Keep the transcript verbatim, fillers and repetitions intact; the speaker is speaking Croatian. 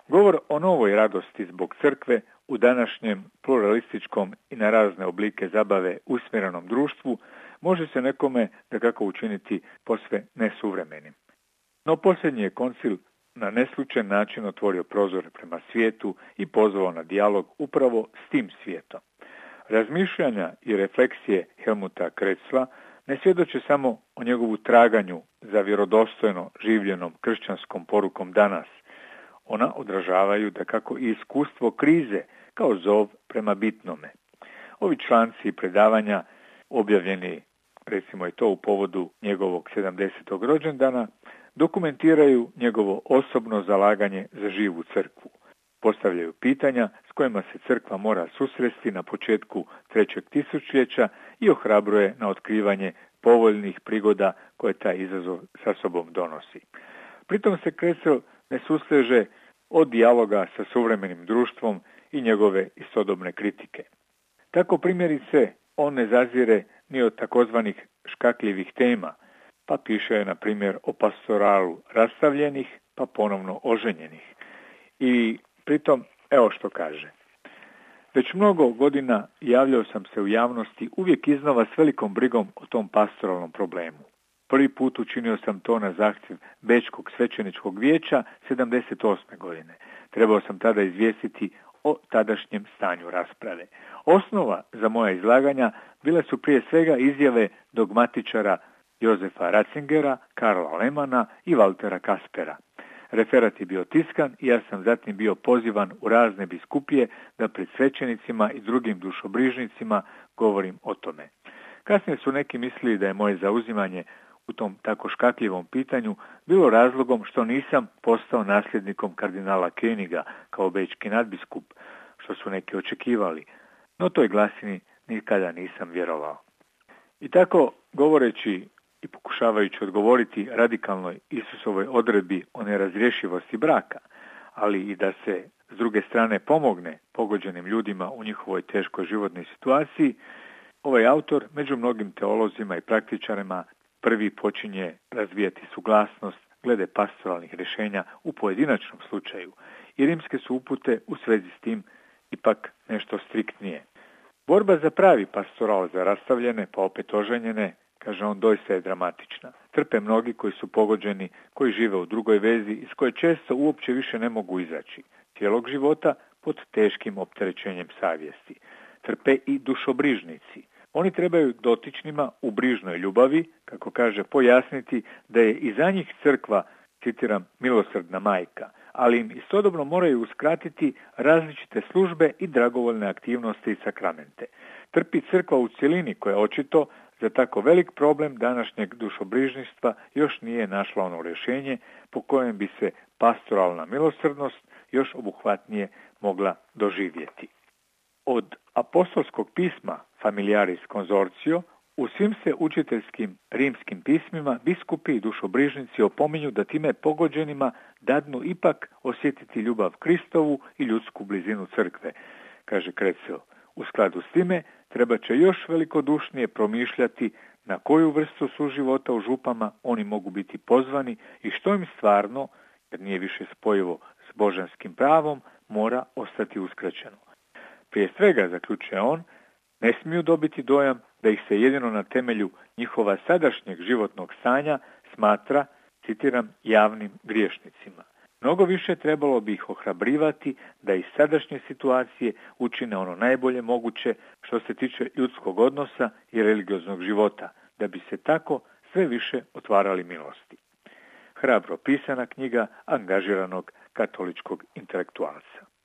Govor o novoj radosti zbog crkve u današnjem pluralističkom i na razne oblike zabave usmjerenom društvu može se nekome dakako učiniti posve nesuvremenim. No posljednji je koncil na neslučajen način otvorio prozor prema svijetu i pozvao na dijalog upravo s tim svijetom. Razmišljanja i refleksije Helmuta Krecla ne svjedoče samo o njegovu traganju za vjerodostojno življenom kršćanskom porukom danas. Ona odražavaju dakako i iskustvo krize kao zov prema bitnome. Ovi članci i predavanja objavljeni, recimo i to u povodu njegovog sedamdesetog rođendana, dokumentiraju njegovo osobno zalaganje za živu crkvu. Postavljaju pitanja s kojima se crkva mora susresti na početku trećeg tisućljeća i ohrabruje na otkrivanje povoljnih prigoda koje taj izazov sa sobom donosi. Pritom se Krecel ne susteže od dijaloga sa suvremenim društvom i njegove istodobne kritike. Tako primjerice on ne zazire ni od takozvanih škakljivih tema, pa piše je na primjer o pastoralu rastavljenih pa ponovno oženjenih. I pritom, evo što kaže. Već mnogo godina javljao sam se u javnosti uvijek iznova s velikom brigom o tom pastoralnom problemu. Prvi put učinio sam to na zahtjev Bečkog svećeničkog vijeća sedamdeset osme godine. Trebao sam tada izvijestiti o tadašnjem stanju rasprave. Osnova za moja izlaganja bile su prije svega izjave dogmatičara Jozefa Ratzingera, Karla Lemana i Valtera Kaspera. Referat je bio tiskan i ja sam zatim bio pozivan u razne biskupije da pred svećenicima i drugim dušobrižnicima govorim o tome. Kasnije su neki mislili da je moje zauzimanje u tom tako škakljivom pitanju bilo razlogom što nisam postao nasljednikom kardinala Königa kao bečki nadbiskup, što su neki očekivali, no toj glasini nikada nisam vjerovao. I tako, govoreći i pokušavajući odgovoriti radikalnoj Isusovoj odredbi o nerazrješivosti braka, ali i da se s druge strane pomogne pogođenim ljudima u njihovoj teškoj životnoj situaciji, ovaj autor među mnogim teolozima i praktičarima prvi počinje razvijati suglasnost glede pastoralnih rješenja u pojedinačnom slučaju i rimske su upute u svezi s tim ipak nešto striktnije. Borba za pravi pastoral za rastavljene pa opet oženjene, kaže on, doista je dramatična. Trpe mnogi koji su pogođeni, koji žive u drugoj vezi iz koje često uopće više ne mogu izaći. Cijelog života pod teškim opterećenjem savjesti. Trpe i dušobrižnici. Oni trebaju dotičnima u brižnoj ljubavi, kako kaže, pojasniti da je i za njih crkva, citiram, milosrdna majka, ali im istodobno moraju uskratiti različite službe i dragovoljne aktivnosti i sakramente. Trpi crkva u cjelini koja očito za tako velik problem današnjeg dušobrižništva još nije našla ono rješenje po kojem bi se pastoralna milosrdnost još obuhvatnije mogla doživjeti. Od apostolskog pisma Familiaris Consortio u svim se učiteljskim rimskim pismima biskupi i dušobrižnici opominju da time pogođenima dadnu ipak osjetiti ljubav Kristovu i ljudsku blizinu crkve, kaže Krecel. U skladu s time treba će još velikodušnije promišljati na koju vrstu suživota u župama oni mogu biti pozvani i što im stvarno, jer nije više spojivo s božanskim pravom, mora ostati uskraćeno. Prije svega, zaključuje on, ne smiju dobiti dojam da ih se jedino na temelju njihova sadašnjeg životnog stanja smatra, citiram, javnim griješnicima. Mnogo više trebalo bi ih ohrabrivati da iz sadašnje situacije učine ono najbolje moguće što se tiče ljudskog odnosa i religioznog života, da bi se tako sve više otvarali milosti. Hrabro pisana knjiga angažiranog katoličkog intelektualca.